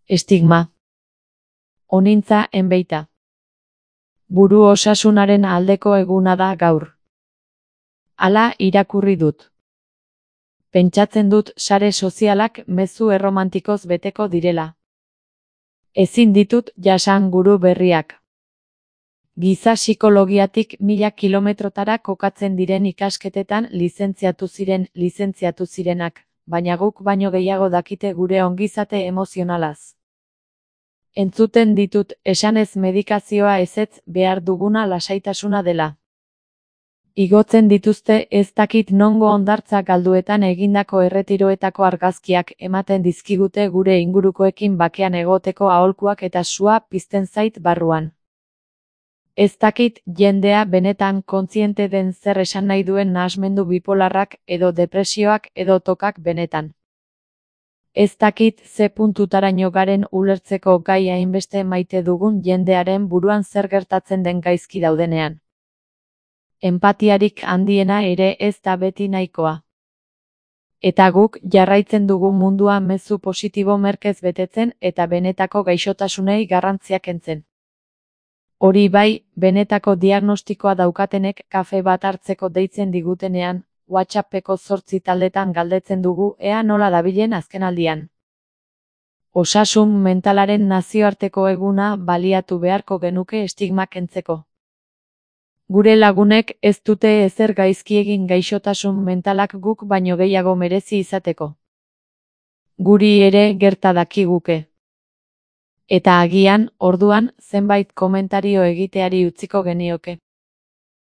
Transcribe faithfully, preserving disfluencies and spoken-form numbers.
Estigma. Onintza enbeita. Buru osasunaren aldeko eguna da gaur. Hala irakurri dut. Pentsatzen dut sare sozialak mezu erromantikoz beteko direla. Ezin ditut jasan guru berriak. Giza psikologiatik mila kilometrotara kokatzen diren ikasketetan lizentziatu ziren lizentziatu zirenak, baina guk baino gehiago dakite gure ongizate emozionalaz. Entzuten ditut esanez medikazioa ezetz behar duguna lasaitasuna dela. Igotzen dituzte ez dakit nongo hondartza galduetan egindako erretiroetako argazkiak ematen dizkigute gure ingurukoekin bakean egoteko aholkuak eta sua pizten zait barruan. Ez dakit jendea benetan kontziente den zer esan nahi duen nahasmendu bipolarrak edo depresioak edo tokak benetan. Ez dakit ze puntutaraino garen ulertzeko gai hainbeste maite dugun jendearen buruan zer gertatzen den gaizki daudenean. Enpatiarik handiena ere ez da beti nahikoa. Eta guk jarraitzen dugu mundua mezu positibo merkez betetzen eta benetako gaixotasunei garrantziak kentzen. Hori bai, benetako diagnostikoa daukatenek kafe bat hartzeko deitzen digutenean, WhatsAppeko zortzi taldetan galdetzen dugu ea nola dabilen azkenaldian. Osasun mentalaren nazioarteko eguna baliatu beharko genuke estigma kentzeko. Gure lagunek ez dute ezer gaizki egin gaixotasun mentalak guk baino gehiago merezi izateko. Guri ere gerta dakiguke. Eta agian, orduan, zenbait komentario egiteari utziko genioke.